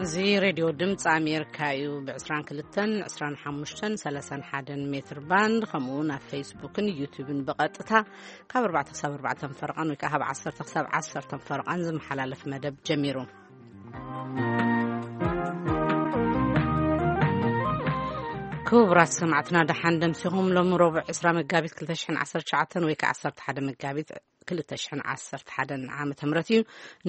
እዚ ሬድዮ ድምፂ ኣሜሪካ እዩ። ብ22፣ 25፣ 31 ሜትር ባንድ፣ ከምኡ እውን ኣብ ፌስቡክን ዩቱብን ብቐጥታ ካብ ኣርባዕተ ክሳብ ኣርባዕተን ፈረቓን ወይ ከዓ ካብ ዓሰርተ ክሳብ ዓሰርተን ፈረቓን ዝመሓላለፍ መደብ ጀሚሩ። ክቡራት ሰማዕትና፣ ደሓን ደምሲኹም። ሎሚ ረቡዕ ዕስራ መጋቢት ክልተ ሽሕን ዓሰርተ ትሽዓተን ወይ ከዓ ዓሰርተ ሓደ መጋቢት ክልተ ሽሕን ዓሰርተ ሓደን ዓመተ ምህረት እዩ።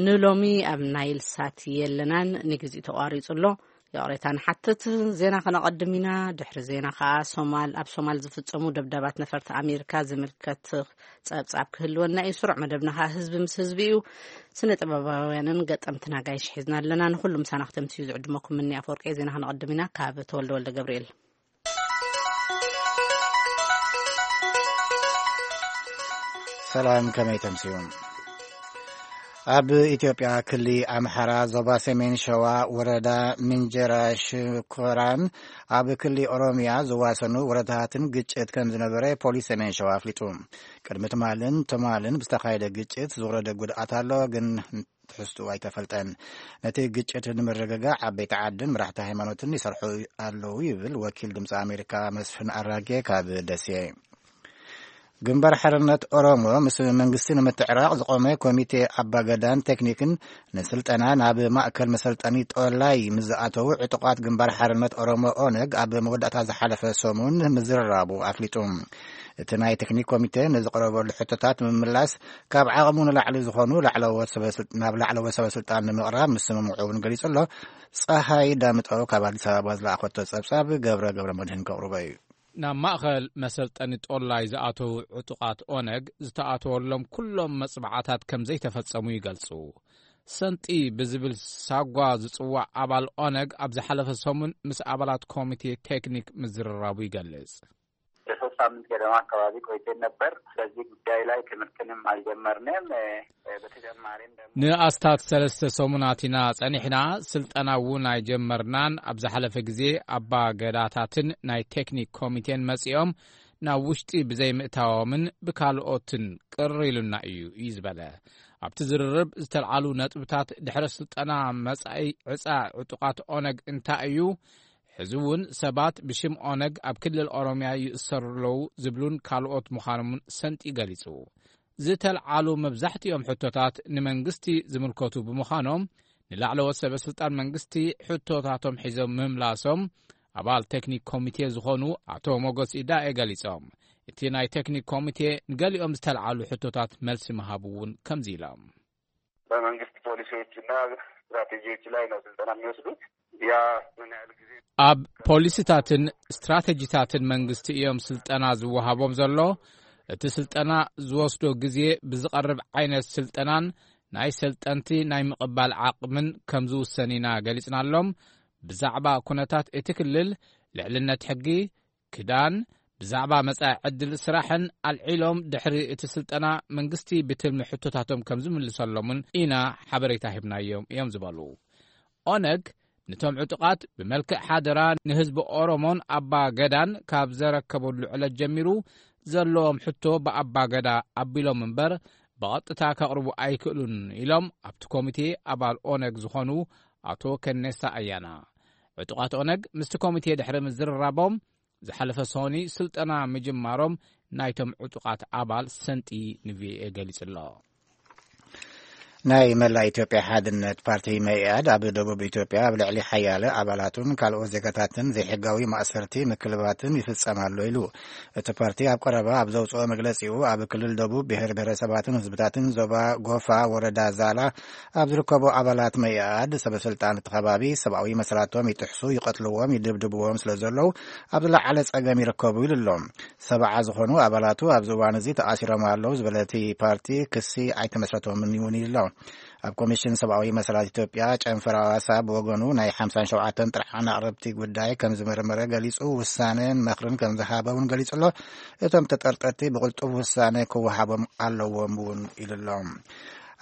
ንሎሚ ኣብ ናይል ሳት የለናን፣ ንግዚኡ ተቋሪጹ ኣሎ። ይቕሬታ ንሓትት። ዜና ከነቐድም ኢና። ድሕሪ ዜና ከኣ ሶማል፣ ኣብ ሶማል ዝፍጸሙ ደብዳባት ነፈርቲ ኣሜሪካ ዝምልከት ጸብጻብ ክህልወና እዩ። ስሩዕ መደብና ከኣ ህዝቢ ምስ ህዝቢ እዩ። ስነ ጥበባውያንን ገጠምትን ኣጋይሽ ሒዝና ኣለና። ንኹሉ ምሳና ክተምስዩ ዝዕድመኩም ምኒ ኣፈወርቂ። ዜና ከነቐድም ኢና። ካብ ተወልደ ወልደ ገብርኤል። ሰላም፣ ከመይ ተምስዩ? ኣብ ኢትዮጵያ ክሊ ኣምሓራ ዞባ ሰሜን ሸዋ ወረዳ ምንጀራ ሽኮራን ኣብ ክሊ ኦሮሚያ ዝዋሰኑ ወረዳታትን ግጭት ከም ዝነበረ ፖሊስ ሰሜን ሸዋ ኣፍሊጡ። ቅድሚ ትማልን ትማልን ብዝተኻየደ ግጭት ዝወረደ ጉድኣት ኣሎ፣ ግን ትሕዝትኡ ኣይተፈልጠን። ነቲ ግጭት ንምርግጋዕ ዓበይቲ ዓድን መራሕቲ ሃይማኖትን ይሰርሑ ኣለዉ ይብል ወኪል ድምፂ ኣሜሪካ መስፍን ኣራጌ ካብ ደሴ። ግንባር ሓርነት ኦሮሞ ምስ መንግስቲ ንምትዕራቕ ዝቖመ ኮሚቴ ኣባገዳን ቴክኒክን ንስልጠና ናብ ማእከል መሰልጠኒ ጦላይ ምስ ዝኣተዉ ዕጡቓት ግንባር ሓርነት ኦሮሞ ኦነግ ኣብ መወዳእታ ዝሓለፈ ሰሙን ምዝርራቡ ኣፍሊጡ። እቲ ናይ ቴክኒክ ኮሚቴ ንዝቐረበሉ ሕቶታት ንምምላስ ካብ ዓቕሙ ንላዕሊ ዝኾኑ ላዕለዎት ሰበ ስልጥ-፣ ናብ ላዕለዎት ሰበ ስልጣን ንምቕራብ ምስምምዑ እውን ገሊጹ ኣሎ። ጸሃይ ዳምጠው ካብ ኣዲስ ኣበባ ዝለኣኸቶ ጸብጻብ ገብረ ገብረ መድህን ከቕርቦ እዩ። ናብ ማእኸል መሰልጠኒ ጦላይ ዝኣተዉ ዕጡቓት ኦነግ ዝተኣተወሎም ኩሎም መጽባዕታት ከም ዘይተፈጸሙ ይገልጹ። ሰንጢ ብዝብል ሳጓ ዝጽዋዕ ኣባል ኦነግ ኣብ ዝሓለፈ ሰሙን ምስ ኣባላት ኮሚቴ ቴክኒክ ምዝርራቡ ይገልጽ። ለሶስት ሳምንት ገደማ አካባቢ ቆይተን ነበር። በዚህ ጉዳይ ላይ ትምህርትንም አልጀመርንም። እ፣ በተጨማሪም ደግሞ ንኣስታት ሰለስተ ሰሙናት ኢና ጸኒሕና፣ ስልጠና እውን ኣይጀመርናን። ኣብ ዝሓለፈ ግዜ ኣባ ገዳታትን ናይ ቴክኒክ ኮሚቴን መጺኦም ናብ ውሽጢ ብዘይምእታዎምን ብካልኦትን ቅር ኢሉና እዩ፣ እዩ ዝበለ። ኣብቲ ዝርርብ ዝተልዓሉ ነጥብታት ድሕሪ ስልጠና መጻኢ ዕጻ ዕጡቓት ኦነግ እንታይ እዩ? ሕዚ እውን ሰባት ብሽም ኦነግ ኣብ ክልል ኦሮሚያ ይእሰሩ ኣለዉ ዝብሉን ካልኦት ምዃኖምን ሰንጢ ገሊጹ። ዝተልዓሉ መብዛሕትኦም ሕቶታት ንመንግስቲ ዝምልከቱ ብምዃኖም፣ ንላዕለዎት ሰበ ስልጣን መንግስቲ ሕቶታቶም ሒዞም ምምላሶም ኣባል ቴክኒክ ኮሚቴ ዝኾኑ ኣቶ ሞጎስ ኢዳኤ ገሊጾም። እቲ ናይ ቴክኒክ ኮሚቴ ንገሊኦም ዝተልዓሉ ሕቶታት መልሲ ምሃቡ እውን ከምዚ ኢሎም። በመንግስት ፖሊሲዎችና ስትራቴጂዎች ላይ ነው ስልጠና የሚወስዱት። ያ ምን ያህል ጊዜ ኣብ ፖሊሲታትን ስትራቴጂታትን መንግስቲ እዮም ስልጠና ዝወሃቦም ዘሎ። እቲ ስልጠና ዝወስዶ ግዜ ብዝቐርብ ዓይነት ስልጠናን ናይ ሰልጠንቲ ናይ ምቕባል ዓቕምን ከም ዝውሰን ኢና ገሊጽናሎም። ብዛዕባ ኩነታት እቲ ክልል፣ ልዕልነት ሕጊ፣ ክዳን፣ ብዛዕባ መጻኢ ዕድል ስራሕን ኣልዒሎም ድሕሪ እቲ ስልጠና መንግስቲ ብትልሚ ሕቶታቶም ከም ዝምልሰሎምን ኢና ሓበሬታ ሂብናዮም እዮም ዝበሉ። ኦነግ ነቶም ዕጡቓት ብመልክዕ ሓደራ ንህዝቢ ኦሮሞን ኣባ ገዳን ካብ ዘረከበሉ ዕለት ጀሚሩ ዘለዎም ሕቶ ብኣባ ገዳ ኣቢሎም እምበር ብቐጥታ ከቕርቡ ኣይክእሉን ኢሎም ኣብቲ ኮሚቴ ኣባል ኦነግ ዝኾኑ ኣቶ ከኔሳ ኣያና። ዕጡቓት ኦነግ ምስቲ ኮሚቴ ድሕሪ ምዝርራቦም ዝሓለፈ ሰኒ ስልጠና ምጅማሮም ናይቶም ዕጡቓት ኣባል ሰንጢ ንቪኦኤ ገሊጹ ኣሎ። ናይ መላእ ኢትዮጵያ ሓድነት ፓርቲ መኢኣድ ኣብ ደቡብ ኢትዮጵያ ኣብ ልዕሊ ሓያለ ኣባላቱን ካልኦት ዜጋታትን ዘይሕጋዊ ማእሰርቲ ምክልባትን ይፍጸም ኣሎ ኢሉ። እቲ ፓርቲ ኣብ ቀረባ ኣብ ዘውጽኦ መግለጺኡ ኣብ ክልል ደቡብ ብሔር ብሔረሰባትን ህዝብታትን ዞባ ጎፋ ወረዳ ዛላ ኣብ ዝርከቡ ኣባላት መኢኣድ ሰበ ስልጣን እቲ ከባቢ ሰብኣዊ መሰላቶም ይጥሕሱ፣ ይቐትልዎም፣ ይድብድብዎም ስለ ዘለዉ ኣብ ዝለዓለ ጸገም ይርከቡ ኢሉ ኣሎ። ሰብዓ ዝኾኑ ኣባላቱ ኣብዚ እዋን እዚ ተኣሲሮም ኣለዉ ዝበለ እቲ ፓርቲ ክሲ ኣይተመስረቶምን እውን ኢሉ ኣሎ። ኣብ ኮሚሽን ሰብኣዊ መሰላት ኢትዮጵያ ጨንፈር ኣዋሳ ብወገኑ ናይ ሓምሳን ሸውዓተን ጥርዓን ኣቕረብቲ ጉዳይ ከም ዝመርመረ ገሊጹ ውሳነን መኽርን ከም ዝሃበ እውን ገሊጹ ኣሎ። እቶም ተጠርጠርቲ ብቕልጡፍ ውሳነ ክወሃቦም ኣለዎም እውን ኢሉ ኣሎ።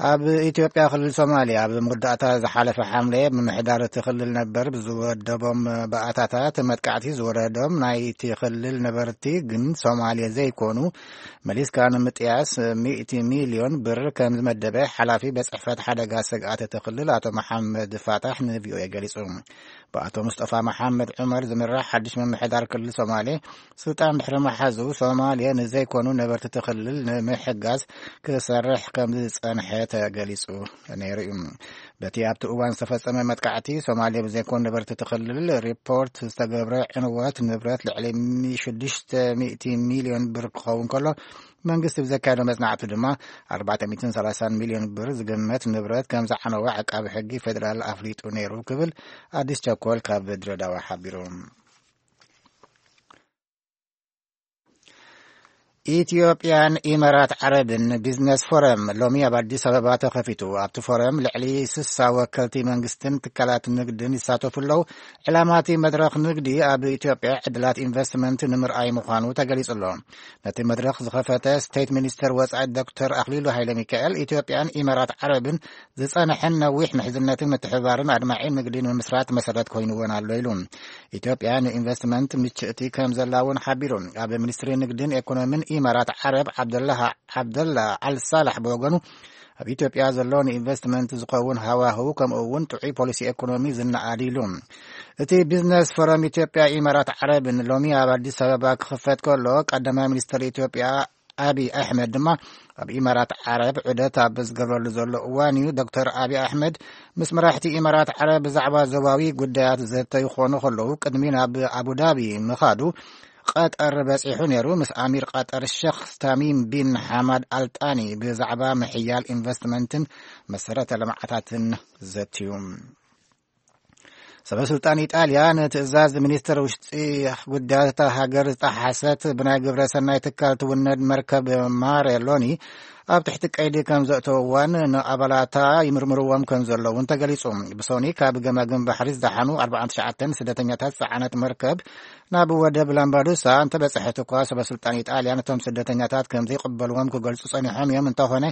ኣብ ኢትዮጵያ ክልል ሶማሊያ፣ ኣብ መወዳእታ ዝሓለፈ ሓምለ፣ ምምሕዳር እቲ ክልል ነበር ብዝወደቦም ባእታታት መጥቃዕቲ ዝወረዶም ናይቲ ክልል ነበርቲ፣ ግን ሶማሌ ዘይኮኑ፣ መሊስካ ንምጥያስ ሚእቲ ሚልዮን ብር ከም ዝመደበ ሓላፊ ቤት ጽሕፈት ሓደጋ ስግኣት እቲ ክልል ኣቶ መሓመድ ፋታሕ ንቪኦኤ ገሊጹ። ብኣቶ ሙስጠፋ መሓመድ ዑመር ዝምራሕ ሓድሽ ምምሕዳር ክልል ሶማሌ ስልጣን ድሕሪ መሓዙ፣ ሶማሌ ንዘይኮኑ ነበርቲ እቲ ክልል ንምሕጋዝ ክሰርሕ ከም ዝጸንሐ ተገሊጹ ነይሩ እዩ። በቲ ኣብቲ እዋን ዝተፈጸመ መጥቃዕቲ፣ ሶማሌ ብዘይኮኑ ነበርቲ እቲ ክልል ሪፖርት ዝተገብረ ዕንወት ንብረት ልዕሊ ሽዱሽተ ሚእቲ ሚልዮን ብር ክኸውን ከሎ፣ መንግስቲ ብዘካየዶ መጽናዕቱ ድማ ኣርባዕተ ሚእትን ሰላሳን ሚልዮን ብር ዝግመት ንብረት ከም ዝዓነወ ዓቃቢ ሕጊ ፌደራል ኣፍሊጡ ነይሩ ክብል ኣዲስ ቸኮል ካብ ድሬዳዋ ሓቢሩ። ኢትዮጵያን ኢማራት ዓረብን ቢዝነስ ፎረም ሎሚ ኣብ ኣዲስ ኣበባ ተኸፊቱ። ኣብቲ ፎረም ልዕሊ ስሳ ወከልቲ መንግስትን ትካላት ንግድን ይሳተፉ ኣለዉ። ዕላማ እቲ መድረኽ ንግዲ ኣብ ኢትዮጵያ ዕድላት ኢንቨስትመንት ንምርኣይ ምዃኑ ተገሊጹ ኣሎ። ነቲ መድረኽ ዝኸፈተ ስቴት ሚኒስተር ወጻኢ ዶክተር ኣኽሊሉ ሃይለ ሚካኤል፣ ኢትዮጵያን ኢማራት ዓረብን ዝጸንሐን ነዊሕ ምሕዝነትን ምትሕብባርን ኣድማዒ ንግዲ ንምምስራት መሰረት ኮይንወን ኣሎ ኢሉ። ኢትዮጵያ ንኢንቨስትመንት ምችእቲ ከም ዘላ እውን ሓቢሩ። ኣብ ሚኒስትሪ ንግድን ኢኮኖሚን ኢማራት ዓረብ ዓብደላህ ዓብደላ ኣልሳላሕ ብወገኑ፣ ኣብ ኢትዮጵያ ዘሎ ንኢንቨስትመንት ዝኸውን ሃዋህው፣ ከምኡ እውን ጥዑይ ፖሊሲ ኢኮኖሚ ዝነኣድ ኢሉ። እቲ ቢዝነስ ፎረም ኢትዮጵያ ኢማራት ዓረብን ሎሚ ኣብ ኣዲስ ኣበባ ክኽፈት ከሎ፣ ቀዳማይ ሚኒስትር ኢትዮጵያ ኣቢ ኣሕመድ ድማ ኣብ ኢማራት ዓረብ ዑደት ኣብ ዝገብረሉ ዘሎ እዋን እዩ። ዶክተር ኣቢ ኣሕመድ ምስ መራሕቲ ኢማራት ዓረብ ብዛዕባ ዞባዊ ጉዳያት ዘተ ይኾኑ ከለዉ፣ ቅድሚ ናብ ኣቡዳቢ ምኻዱ ቀጠር በጺሑ ነይሩ። ምስ ኣሚር ቀጠር ሸኽ ታሚም ቢን ሓማድ ኣልጣኒ ብዛዕባ ምሕያል ኢንቨስትመንትን መሰረተ ልምዓታትን ዘትዩ። ሰበ ስልጣን ኢጣልያ ንትእዛዝ ሚኒስትር ውሽጢ ጉዳያት እታ ሃገር ዝጠሓሰት ብናይ ግብረ ሰናይ ትካል ትውነድ መርከብ ማሬ ሎኒ ኣብ ትሕቲ ቀይዲ ከም ዘእተውዋን ንኣባላታ ይምርምርዎም ከም ዘለውን ተገሊጹ። ብሶኒ ካብ ገማግም ባሕሪ ዝደሓኑ ኣርባዓን ትሽዓተን ስደተኛታት ዝጸዓነት መርከብ ናብ ወደብ ላምባዱሳ እንተበጽሐት እኳ፣ ሰበ ስልጣን ኢጣልያ ነቶም ስደተኛታት ከም ዘይቅበልዎም ክገልጹ ጸኒሖም እዮም። እንተኾነ፣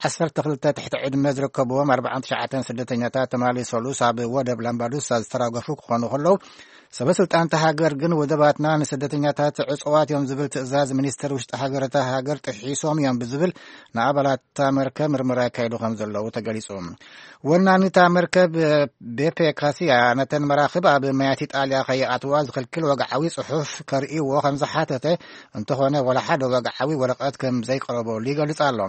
ዓሰርተ ክልተ ትሕቲ ዕድመ ዝርከብዎም ኣርባዓን ትሽዓተን ስደተኛታት ትማሊ ሰሉስ ኣብ ወደብ ላምባዱሳ ዝተራገፉ ክኾኑ ከለዉ፣ ሰበ ስልጣን እታ ሃገር ግን ወደባትና ንስደተኛታት ዕጹዋት እዮም ዝብል ትእዛዝ ሚኒስትር ውሽጢ ሃገር እታ ሃገር ጥሒሶም እዮም ብዝብል ንኣባላት እታ መርከብ ምርመራ የካይዱ ከም ዘለዉ ተገሊጹ። ወናኒ እታ መርከብ ቤፔ ካሲያ ነተን መራኽብ ኣብ ማያት ኢጣልያ ከይኣትዋ ዝኽልክል ወግዓዊ ጽሑፍ ከርእይዎ ከም ዝሓተተ፣ እንተኾነ ወላ ሓደ ወግዓዊ ወረቐት ከም ዘይቀረበሉ ይገልጽ ኣሎ።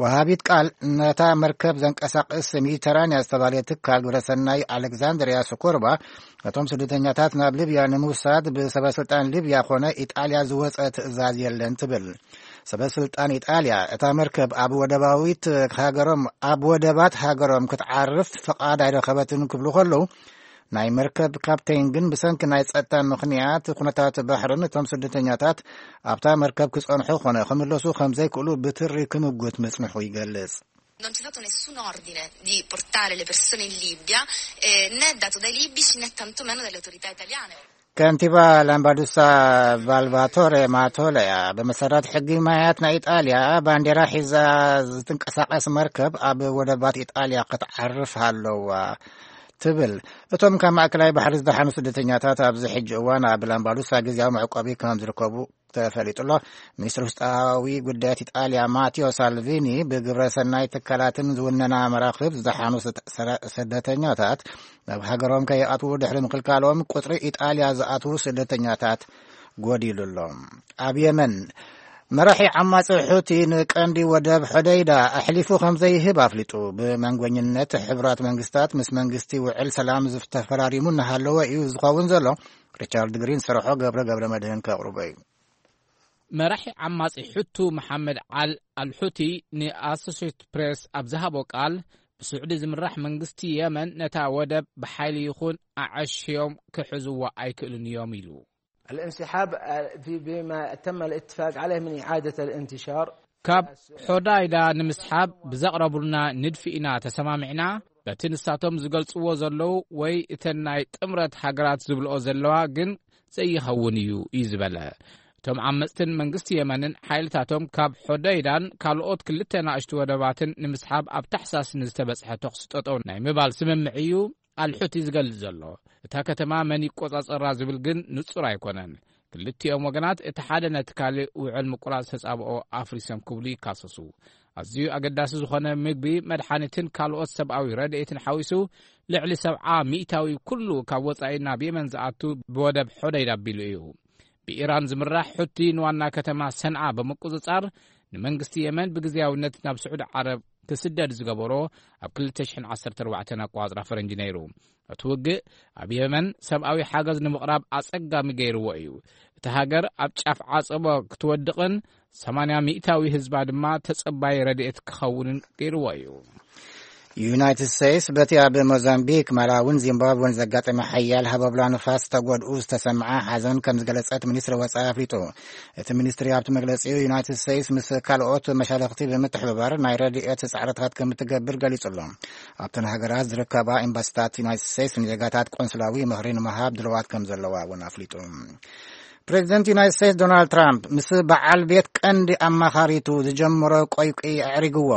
ወሃቢት ቃል ነታ መርከብ ዘንቀሳቕስ ሜዲተራንያ ዝተባህለ ትካል ግብረሰናይ ኣሌክዛንድርያ ስኮርባ፣ ነቶም ስደተኛታት ናብ ሊብያ ንምውሳድ ብሰበ ስልጣን ሊብያ ኮነ ኢጣልያ ዝወጸ ትእዛዝ የለን ትብል። ሰበ ስልጣን ኢጣልያ፣ እታ መርከብ ኣብ ወደባዊት ሃገሮም፣ ኣብ ወደባት ሃገሮም ክትዓርፍ ፍቓድ ኣይረኸበትን ክብሉ ከለዉ፣ ናይ መርከብ ካፕቴን ግን ብሰንኪ ናይ ጸጥታ ምኽንያት ኩነታት ባሕርን እቶም ስደተኛታት ኣብታ መርከብ ክጸንሑ ኮነ ክምለሱ ከም ዘይክእሉ ብትሪ ክምጉት ምጽንሑ ይገልጽ። Non c'è stato nessun ordine di portare le persone in Libia, eh, né dato dai libici né tantomeno dalle autorità italiane. ከንቲባ ላምባዱሳ ቫልቫቶሬ ማቶለያ፣ ብመሰረት ሕጊ ማያት ናይ ኢጣልያ፣ ባንዴራ ሒዛ ዝትንቀሳቐስ መርከብ ኣብ ወደባት ኢጣልያ ክትዓርፍ ኣለዋ ትብል። እቶም ካብ ማእከላይ ባሕሪ ዝደሓኑ ስደተኛታት ኣብዚ ሕጂ እዋን ኣብ ላምባዱሳ ግዜያዊ መዕቆቢ ከም ዝርከቡ ተፈሊጡ ኣሎ። ሚኒስትሪ ውሽጣዊ ጉዳያት ኢጣልያ ማቴዎ ሳልቪኒ፣ ብግብረ ሰናይ ትካላትን ዝውነና መራኽብ ዝደሓኑ ስደ-፣ ሰረ-፣ ስደተኛታት ናብ ሃገሮም ከይኣትዉ ድሕሪ ምክልካሎም፣ ቁጽሪ ኢጣልያ ዝኣትዉ ስደተኛታት ጎዲሉ ኣሎ። ኣብ የመን፣ መራሒ ዓማጺ ሑቲ ንቀንዲ ወደብ ሖደይዳ ኣሕሊፉ ከም ዘይህብ ኣፍሊጡ። ብመንጎኝነት ሕቡራት መንግስታት ምስ መንግስቲ ውዕል ሰላም ዝተፈራሪሙ እናሃለወ እዩ ዝኸውን ዘሎ። ሪቻርድ ግሪን ዝሰርሖ ገብረ ገብረ መድህን ከቕርቦ እዩ። መራሒ ዓማጺ ሕቱ መሓመድ ዓል ኣልሑቲ ንኣሶሴትድ ፕሬስ ኣብ ዝሃቦ ቃል፣ ብስዑዲ ዝምራሕ መንግስቲ የመን ነታ ወደብ ብሓይሊ ይኹን ኣዐሽዮም ክሕዝዋ ኣይክእሉን እዮም ኢሉ። الانسحاب، آه، في، بما تم الاتفاق عليه من إعادة الانتشار. ካብ ሖዳይዳ ንምስሓብ ብዘቕረቡልና ንድፊ ኢና ተሰማሚዕና። በቲ ንሳቶም ዝገልጽዎ ዘለዉ ወይ እተን ናይ ጥምረት ሃገራት ዝብልኦ ዘለዋ ግን ዘይኸውን እዩ፣ እዩ ዝበለ። እቲ እቶም ዓመጽትን መንግስቲ የመንን ሓይልታቶም ካብ ሖደይዳን ካልኦት ክልተ ናእሽቱ ወደባትን ንምስሓብ ኣብ ታሕሳስ ንዝተበጽሐ ተኹሲ ጠጠው ናይ ምባል ስምምዕ እዩ ኣልሑቲ ዝገልጽ ዘሎ። እታ ከተማ መን ይቆጻጸራ ዝብል ግን ንጹር ኣይኮነን። ክልቲኦም ወገናት እቲ ሓደ ነቲ ካልእ ውዕል ምቁራጽ ተጻብኦ ኣፍሪሶም ክብሉ ይካሰሱ። ኣዝዩ ኣገዳሲ ዝኾነ ምግቢ፣ መድሓኒትን ካልኦት ሰብኣዊ ረድኤትን ሓዊሱ ልዕሊ ሰብዓ ሚእታዊ ኩሉ ካብ ወጻኢ ናብ የመን ዝኣቱ ብወደብ ሖደይዳ ኣቢሉ እዩ። ብኢራን ዝምራሕ ሑቲ ንዋና ከተማ ሰንዓ ብምቁጽጻር ንመንግስቲ የመን ብግዝያውነት ናብ ስዑዲ ዓረብ ክስደድ ዝገበሮ ኣብ ክልተ ሽሕን ዓሰርተ ኣርባዕተን ኣቋጽራ ፈረንጂ ነይሩ። እቲ ውግእ ኣብ የመን ሰብኣዊ ሓገዝ ንምቕራብ ኣጸጋሚ ገይርዎ እዩ። እቲ ሃገር ኣብ ጫፍ ዓጸቦ ክትወድቕን ሰማንያ ሚእታዊ ህዝባ ድማ ተጸባይ ረድኤት ክኸውንን ገይርዎ እዩ። ዩናይትድ ስቴትስ በቲ ኣብ ሞዛምቢክ፣ ማላዊን ዚምባብወን ዘጋጠመ ሓያል ሃበብላ ንፋስ ተጎድኡ ዝተሰምዓ ሓዘን ከም ዝገለጸት ሚኒስትሪ ወጻኢ ኣፍሊጡ። እቲ ሚኒስትሪ ኣብቲ መግለጺኡ፣ ዩናይትድ ስቴትስ ምስ ካልኦት መሻርኽቲ ብምትሕብባር ናይ ረድኤት ጻዕርታት ከም እትገብር ገሊጹ ኣሎ። ኣብተን ሃገራት ዝርከባ ኤምባሲታት ዩናይትድ ስቴትስ ንዜጋታት ቆንስላዊ ምኽሪ ንምሃብ ድልዋት ከም ዘለዋ እውን ኣፍሊጡ። ፕሬዚደንት ዩናይትድ ስቴትስ ዶናልድ ትራምፕ ምስ በዓል ቤት ቀንዲ ኣማኻሪቱ ዝጀመሮ ቆይቂ ኣዕሪግዎ።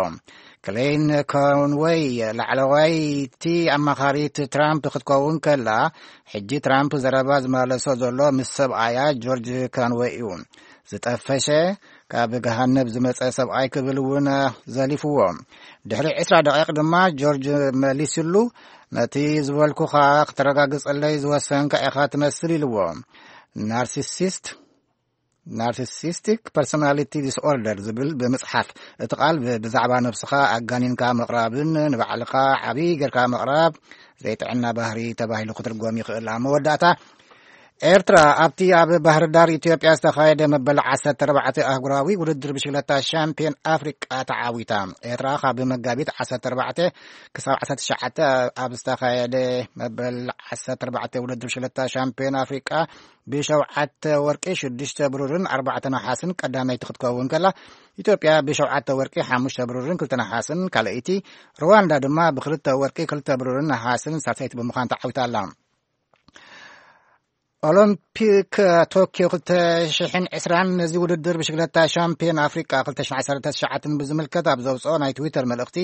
ክሌን ኮንወይ ላዕለዋይቲ ኣማኻሪት ትራምፕ ክትከውን ከላ፣ ሕጂ ትራምፕ ዘረባ ዝመለሶ ዘሎ ምስ ሰብኣያ ጆርጅ ኮንወይ እዩ። ዝጠፈሸ ካብ ገሃነብ ዝመጸ ሰብኣይ ክብል እውን ዘሊፍዎ። ድሕሪ ዕስራ ደቂቕ ድማ ጆርጅ መሊስሉ፣ ነቲ ዝበልኩኻ ክተረጋግጸለይ ዝወሰንካ ኢኻ ትመስል ኢልዎ። ናርሲሲስት ናርሲሲስቲክ ፐርሶናሊቲ ዲስኦርደር ዝብል ብምጽሓፍ፣ እቲ ቃል ብ- ብዛዕባ ነብስኻ ኣጋኒንካ ምቕራብን ንባዕልኻ ዓብዪ ጌርካ ምቕራብ ዘይጥዕና ባህሪ ተባሂሉ ክትርጎም ይኽእል። ኣብ መወዳእታ፣ ኤርትራ ኣብቲ ኣብ ባህር ዳር ኢትዮጵያ ዝተኻየደ መበል ዓሰርተ ኣርባዕተ ኣህጉራዊ ውድድር ብሽክለታ ሻምፒዮን ኣፍሪቃ ተዓዊታ። ኤርትራ ካብ መጋቢት ዓሰርተ ኣርባዕተ ክሳብ ዓሰርተ ትሽዓተ ኣብ ዝተኻየደ መበል ዓሰርተ ኣርባዕተ ውድድር ብሽክለታ ሻምፒዮን ኣፍሪቃ ብሸውዓተ ወርቂ፣ ሽዱሽተ ብሩርን ኣርባዕተ ነሓስን ቀዳመይቲ ክትከውን ከላ፣ ኢትዮጵያ ብሸውዓተ ወርቂ፣ ሓሙሽተ ብሩርን ክልተ ነሓስን ካልኣይቲ፣ ሩዋንዳ ድማ ብክልተ ወርቂ፣ ክልተ ብሩርን ነሓስን ሳልሰይቲ ብምዃን ተዓዊታ ኣላ። ኦሎምፒክ ቶኪዮ ክልተ ሽሕን ዕስራን ነዚ ውድድር ብሽግለታ ሻምፒዮን ኣፍሪቃ ክልተ ሽሕን ዓሰርተ ትሽዓተን ብዝምልከት ኣብ ዘውፅኦ ናይ ትዊተር መልእኽቲ፣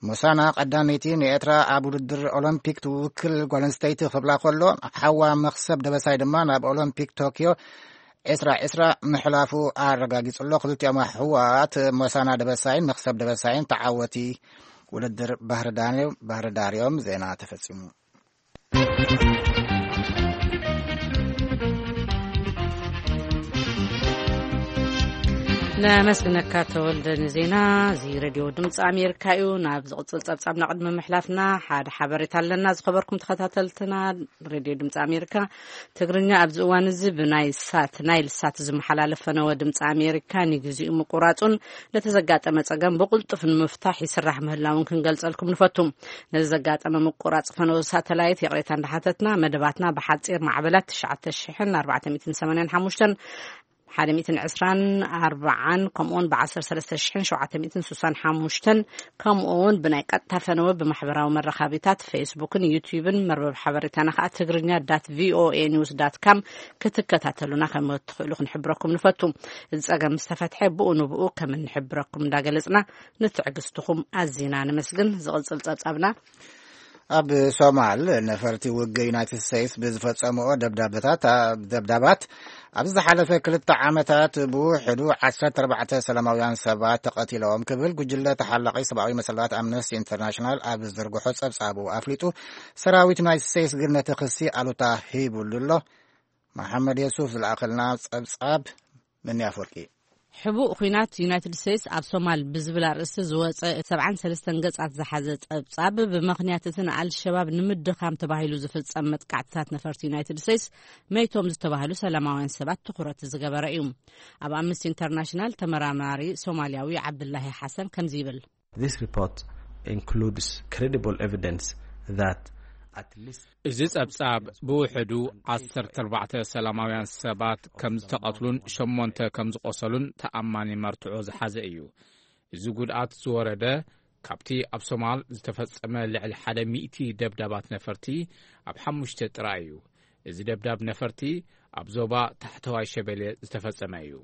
ሞሳና ቀዳመይቲ ንኤርትራ ኣብ ውድድር ኦሎምፒክ ትውክል ጓል ኣንስተይቲ ክብላ ከሎ፣ ሓዋ መኽሰብ ደበሳይ ድማ ናብ ኦሎምፒክ ቶኪዮ ዕስራ ዕስራ ምሕላፉ ኣረጋጊጹ ኣሎ። ክልቲኦም ኣሕዋት ሞሳና ደበሳይን መኽሰብ ደበሳይን ተዓወቲ ውድድር ባህርዳር እዮም። ዜና ተፈጺሙ። ነመስግነካ ተወልደ ንዜና። እዚ ሬድዮ ድምፂ ኣሜሪካ እዩ። ናብ ዝቕፅል ፀብፃብ ናቕድሚ ምሕላፍና ሓደ ሓበሬታ ኣለና። ዝኸበርኩም ተኸታተልትና ሬድዮ ድምፂ ኣሜሪካ ትግርኛ ኣብዚ እዋን እዚ ብናይ ሳት ናይል ሳት ዝመሓላለፍ ፈነወ ድምፂ ኣሜሪካ ንግዚኡ ምቁራፁን ነቲ ዘጋጠመ ፀገም ብቕልጡፍ ንምፍታሕ ይስራሕ ምህላውን ክንገልፀልኩም ንፈቱ። ነዚ ዘጋጠመ ምቁራፅ ፈነወ ሳተላይት ይቕሬታ እንዳሓተትና መደባትና ብሓፂር ማዕበላት ትሽዓተ ሽሕን ኣርባዕተ ሚእትን ሰማንያን ሓሙሽተን ሓደ ሚእትን ዕስራን ኣርባዓን ከምኡውን ብ ዓሰርተ ሰለስተ ሽሕን ሸውዓተ ሚእትን ስሳን ሓሙሽተን ከምኡውን ብናይ ቀጥታ ፈነወ ብማሕበራዊ መራኸቢታት ፌስቡክን ዩትዩብን መርበብ ሓበሬታና ከዓ ትግርኛ ዳት ቪኦኤ ኒውስ ዳት ካም ክትከታተሉና ከም እትኽእሉ ክንሕብረኩም ንፈቱ። እዚ ፀገም ምስ ተፈትሐ ብኡ ንብኡ ከም እንሕብረኩም እንዳገለፅና ንትዕግስትኹም ኣዚና ነመስግን። ዝቕፅል ፀብፃብና ኣብ ሶማል ነፈርቲ ውግእ ዩናይትድ ስቴትስ ብዝፈጸምኦ ደብዳበታት ደብዳባት ኣብዚ ዝሓለፈ ክልተ ዓመታት ብውሕዱ ዓሰርተ ኣርባዕተ ሰላማውያን ሰባት ተቐቲሎም ክብል ጉጅለ ተሓላቒ ሰብኣዊ መሰላት ኣምነስቲ ኢንተርናሽናል ኣብ ዝዘርግሖ ጸብጻቡ ኣፍሊጡ። ሰራዊት ዩናይትድ ስቴትስ ግን ነቲ ክሲ ኣሉታ ሂቡሉ ኣሎ። መሓመድ የሱፍ ዝለኣኸልና ጸብጻብ። መኒ ኣፍወርቂ። ሕቡእ ኲናት ዩናይትድ ስቴትስ ኣብ ሶማል ብዝብል ኣርእስቲ ዝወጸ ሰብዓን ሰለስተን ገጻት ዝሓዘ ጸብጻብ፣ ብምኽንያት እቲ ንኣልሸባብ ንምድኻም ተባሂሉ ዝፍጸም መጥቃዕትታት ነፈርቲ ዩናይትድ ስቴትስ መይቶም ዝተባህሉ ሰላማውያን ሰባት ትኹረት ዝገበረ እዩ። ኣብ ኣምነስቲ ኢንተርናሽናል ተመራማሪ ሶማልያዊ ዓብዱላሂ ሓሰን ከምዚ ይብል። This report includes credible evidence that at least እዚ ጸብጻብ ብውሕዱ ዓሰርተ ኣርባዕተ ሰላማውያን ሰባት ከም ዝተቐትሉን ሸሞንተ ከም ዝቖሰሉን ተኣማኒ መርትዖ ዝሓዘ እዩ። እዚ ጉድኣት ዝወረደ ካብቲ ኣብ ሶማል ዝተፈጸመ ልዕሊ ሓደ ሚእቲ ደብዳባት ነፈርቲ ኣብ ሓሙሽተ ጥራይ እዩ። እዚ ደብዳብ ነፈርቲ ኣብ ዞባ ታሕተዋይ ሸበሌ ዝተፈጸመ እዩ።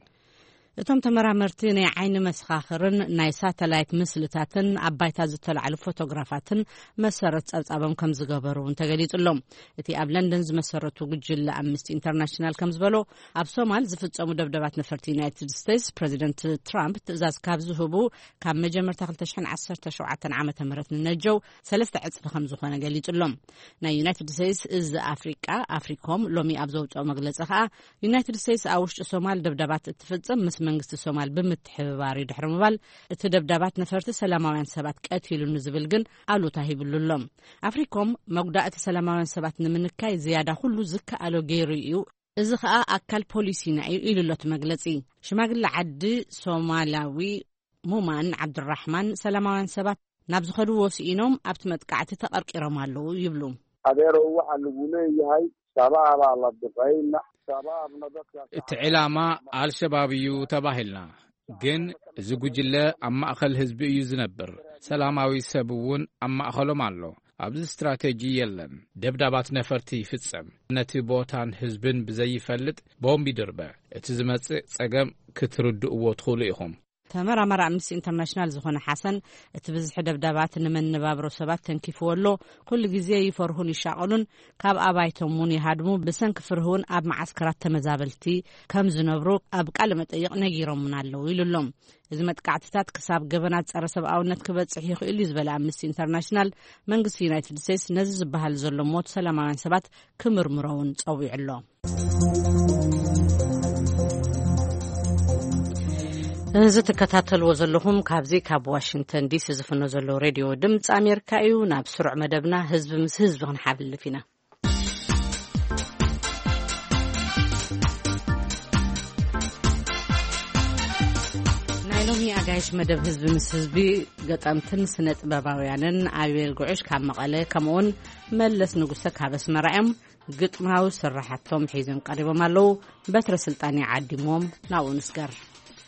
እቶም ተመራመርቲ ናይ ዓይኒ መሰኻኽርን ናይ ሳተላይት ምስልታትን ኣብ ባይታ ዝተላዕሉ ፎቶግራፋትን መሰረት ጸብጻቦም ከም ዝገበሩ እውን ተገሊጹ ኣሎ። እቲ ኣብ ለንደን ዝመሰረቱ ጉጅለ ኣምነስቲ ኢንተርናሽናል ከም ዝበሎ፣ ኣብ ሶማል ዝፍጸሙ ደብደባት ነፈርቲ ዩናይትድ ስቴትስ፣ ፕረዚደንት ትራምፕ ትእዛዝ ካብ ዝህቡ ካብ መጀመርታ ክልተ ሽሕን ዓሰርተ ሸውዓተን ዓመተ ምህረት ንነጀው ሰለስተ ዕጽፊ ከም ዝኾነ ገሊጹ ኣሎ። ናይ ዩናይትድ ስቴትስ እዚ ኣፍሪቃ ኣፍሪኮም ሎሚ ኣብ ዘውጽኦ መግለጺ ከኣ፣ ዩናይትድ ስቴትስ ኣብ ውሽጢ ሶማል ደብዳባት እትፍጽም ምስ መንግስቲ ሶማል ብምትሕብባር እዩ ድሕሪ ምባል፣ እቲ ደብዳባት ነፈርቲ ሰላማውያን ሰባት ቀቲሉ ንዝብል ግን ኣሉታ ሂብሉ ኣሎ። ኣፍሪኮም መጉዳእቲ ሰላማውያን ሰባት ንምንካይ ዝያዳ ኩሉ ዝከኣሎ ገይሩ እዩ፣ እዚ ከኣ ኣካል ፖሊሲና እዩ ኢሉ ኣሎ እቲ መግለጺ። ሽማግለ ዓዲ ሶማላዊ ሙማን ዓብዱራሕማን፣ ሰላማውያን ሰባት ናብ ዝኸድዎ ስኢኖም ኣብቲ መጥቃዕቲ ተቐርቂሮም ኣለዉ ይብሉ። Adeero, waxaa laguna yahay shabaabaa la duqayna, shabaabna dadka እቲ ዕላማ ኣልሸባብ እዩ ተባሂልና፣ ግን እዚ ጉጅለ ኣብ ማእኸል ህዝቢ እዩ ዝነብር። ሰላማዊ ሰብ እውን ኣብ ማእኸሎም ኣሎ። ኣብዚ ስትራቴጂ የለን። ደብዳባት ነፈርቲ ይፍጸም፣ ነቲ ቦታን ህዝብን ብዘይፈልጥ ቦምብ ይድርበ። እቲ ዝመጽእ ጸገም ክትርድእዎ ትኽእሉ ኢኹም። ተመራማሪ ኣምነስቲ ኢንተርናሽናል ዝኾነ ሓሰን፣ እቲ ብዝሒ ደብዳባት ንመነባብሮ ሰባት ተንኪፍዎ ኣሎ። ኩሉ ግዜ ይፈርሁን ይሻቐሉን፣ ካብ ኣባይቶም እውን ይሃድሙ። ብሰንኪ ፍርሂ እውን ኣብ መዓስከራት ተመዛበልቲ ከም ዝነብሩ ኣብ ቃለ መጠይቕ ነጊሮምና ኣለዉ ኢሉ ኣሎ። እዚ መጥቃዕትታት ክሳብ ገበናት ጸረ ሰብኣውነት ክበጽሕ ይኽእል እዩ ዝበለ ኣምነስቲ ኢንተርናሽናል፣ መንግስቲ ዩናይትድ ስቴትስ ነዚ ዝበሃል ዘሎ ሞት ሰላማውያን ሰባት ክምርምሮ እውን ጸዊዑ ኣሎ። እዚ ትከታተልዎ ዘለኹም ካብዚ ካብ ዋሽንግተን ዲሲ ዝፍኖ ዘሎ ሬድዮ ድምፂ ኣሜሪካ እዩ። ናብ ስሩዕ መደብና ህዝቢ ምስ ህዝቢ ክንሓልፍ ኢና። ናይ ሎሚ ኣጋይሽ መደብ ህዝቢ ምስ ህዝቢ፣ ገጠምትን ስነ ጥበባውያንን ኣቤል ጉዕሽ ካብ መቐለ፣ ከምኡውን መለስ ንጉሰ ካብ ኣስመራ እዮም። ግጥማዊ ስራሓቶም ሒዞም ቀሪቦም ኣለዉ። በትረ ስልጣን ይዓዲሞም ናብኡ ንስገር።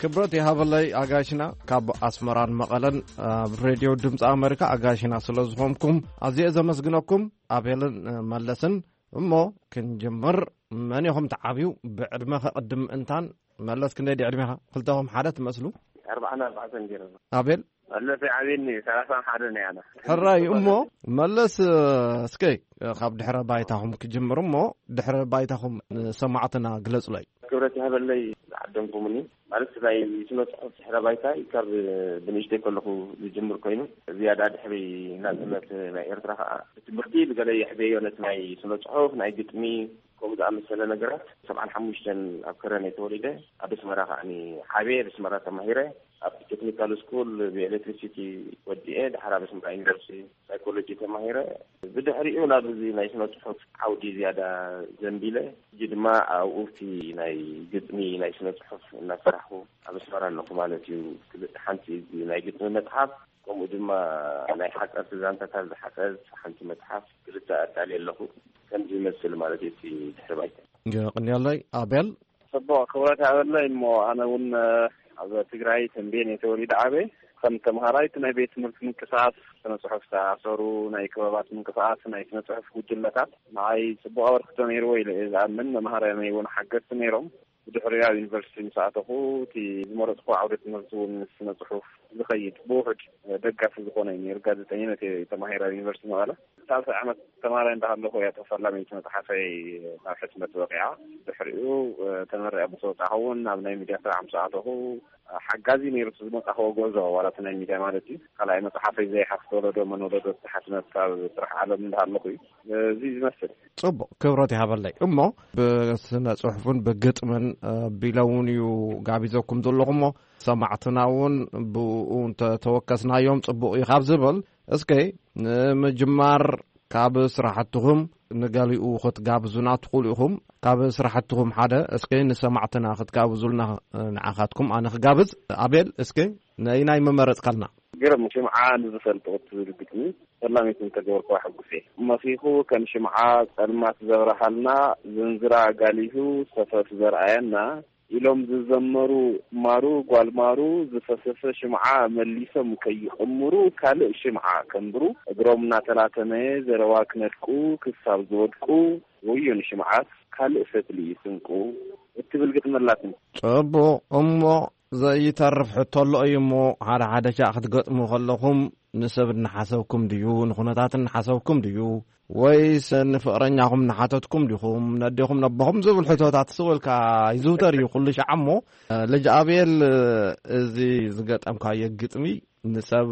ክብረት ይሃበለይ ኣጋይሽና ካብ ኣስመራን መቐለን ኣብ ሬድዮ ድምፂ ኣሜሪካ ኣጋይሽና ስለ ዝኾንኩም ኣዝየ ዘመስግነኩም፣ ኣቤልን መለስን። እሞ ክንጅምር፣ መን ኢኹም ትዓብዩ? ብዕድመ ከቕድም እንታን፣ መለስ ክንደይ ድዩ ዕድሜኻ? ክልተኹም ሓደ ትመስሉ። ኣርባዓን ኣርባዕተን ገይረ። ኣቤል? መለስ ይዓብየኒ፣ ሰላሳን ሓደን እየ ኣነ። ሕራይ እሞ፣ መለስ፣ እስከ ካብ ድሕረ ባይታኹም ክጅምር እሞ፣ ድሕረ ባይታኹም ንሰማዕትና ግለጹለይ። ክብረት ይሃበለይ ዝዓደምኩምኒ። ማለት ናይ ስነ ጽሑፍ ድሕረ ባይታይ ካብ ብንእሽተይ ከለኹ ዝጅምር ኮይኑ፣ ዝያዳ ድሕሪ ናጽነት ናይ ኤርትራ ከኣ ብትምህርቲ ብገለ የሕበዮ ነቲ ናይ ስነ ጽሑፍ፣ ናይ ግጥሚ፣ ከምኡ ዝኣመሰለ ነገራት። ሰብዓን ሓሙሽተን ኣብ ከረን እየ ተወሊደ። ኣብ ኣስመራ ከኣኒ ዓብየ፣ ኣብ ኣስመራ ተማሂረ። ኣብ ቴክኒካል ስኩል ብኤሌክትሪሲቲ ወዲኤ፣ ድሓር ኣብ ኣስመራ ዩኒቨርሲቲ ሳይኮሎጂ ተማሂረ። ብድሕሪኡ ናብ እዚ ናይ ስነ ጽሑፍ ዓውዲ ዝያዳ ዘንቢለ። ሕጂ ድማ ኣብኡ እቲ ናይ ግጥሚ፣ ናይ ስነ ጽሑፍ እናሰራሕኩ ኣብ ኣስመራ ኣለኹ ማለት እዩ። ክልተ፣ ሓንቲ ናይ ግጥሚ መጽሓፍ፣ ከምኡ ድማ ናይ ሓጸርቲ ዛንታታት ዝሓጸት ሓንቲ መጽሓፍ ክልተ ኣዳልየ ኣለኹ። ከምዚ ይመስል ማለት እዩ እቲ ድሕሪ ባይታ። የቐንየለይ ኣቤል። ጽቡቕ፣ ክብረት ይሃበለይ። እሞ ኣነ እውን፣ እ፣ ኣብ ትግራይ ተምቤን እየ ተወሊደ ዓበየ። ከም ተምሃራይ እቲ ናይ ቤት ትምህርቲ ምንቅስቓስ ስነ ጽሑፍ ዝተኣሳሰሩ ናይ ክበባት ምንቅስቓስ ናይ ስነ ጽሑፍ ጉጅለታት ንዓይ ጽቡቕ ኣበርክቶ ነይርዎ ኢለ እየ ዝኣምን። መምሃርያነይ እውን ሓገዝቲ ነይሮም። ብድሕሪኡ ኣብ ዩኒቨርሲቲ ምስ ኣተኹ፣ እቲ ዝመረጽኩ ዓውደ ትምህርቲ እውን ምስ ስነ ጽሑፍ ዝኸይድ ብውሑድ ደጋፊ ዝኾነ እዩ ነይሩ። ጋዜጠኝነት እየ ተማሂረ ኣብ ዩኒቨርሲቲ መቐለ። ሳልሳይ ዓመት ተማሃራይ እንዳሃለኹ እያ ተፈላሚት መጽሓፈይ ናብ ሕትመት በቂዓ። ድሕሪኡ፣ እ፣ ተመሪቐ ምስ ወጻኹ እውን ናብ ናይ ሚድያ ስራሕ ምስ ኣተኹ፣ ሓጋዚ ነይሩ እቲ ዝመጻኽዎ ጉዕዞ፣ ዋላ እቲ ናይ ሚድያ ማለት እዩ። ካልኣይ መጽሓፈይ ዘይሓፍት ወለዶ መን ወለዶ ዝተሓትመት ካብ ስራሕ ዓለም እንዳሃለኹ እዩ። እዚ ዝመስል። ጽቡቕ፣ ክብረት ይሃበለይ። እሞ ብስነ ጽሑፍን ብግጥምን፣ እ፣ ቢለ እውን እዩ ጋቢዘኩም ዘለኹ እሞ፣ ሰማዕትና እውን ብኡ እንተ ተወከስናዮም ጽቡቕ እዩ ካብ ዝብል፣ እስከ ንምጅማር ካብ ስራሕትኹም ንገሊኡ ክትጋብዙና ትኽእሉ ኢኹም። ካብ ስራሕትኹም ሓደ እስከ ንሰማዕትና ክትጋብዙልና፣ እ፣ ንዓኻትኩም ኣነ ክጋብዝ። ኣቤል፣ እስከ ነይናይ ምመረጽካልና? ግርም ሽምዓ ንዝፈልጦ እትብል ግጥሚ ፈላሚት እንተገበርኩዋ ሕጉስ እየ። መኺኹ ከም ሽምዓ ጸልማት ዘብርሃልና፣ ዝንዝራ ኣጋሊሁ ሰፈፍ ዘርኣየና፣ ኢሎም ዝዘመሩ ማሩ ጓል ማሩ ዝፈሰሰ ሽምዓ መሊሶም ከይቕምሩ ካልእ ሽምዓ ከንብሩ እግሮም እናተላተመየ ዘረባ ክነድቁ ክሳብ ዝወድቁ ወዮ ንሽምዓት ካልእ ፈትሊ እዩ ስንቁ እትብል ግጥሚ ኣላትኒ። ጽቡቕ እሞ ዘይተርፍ ሕቶ ኣሎ እዩ እሞ ሓደ ሓደ ሻዕ ክትገጥሙ ከለኹም ንሰብ እናሓሰብኩም ድዩ ንኹነታት እናሓሰብኩም ድዩ ወይስ ንፍቕረኛኹም እናሓተትኩም ዲኹም ነዴኹም ነቦኹም ዝብል ሕቶታት ስቕ ኢልካ ይዝውተር እዩ ኩሉ ሻዕ እሞ ልጅ ኣብኤል እዚ ዝገጠምካዮ ግጥሚ ንሰብ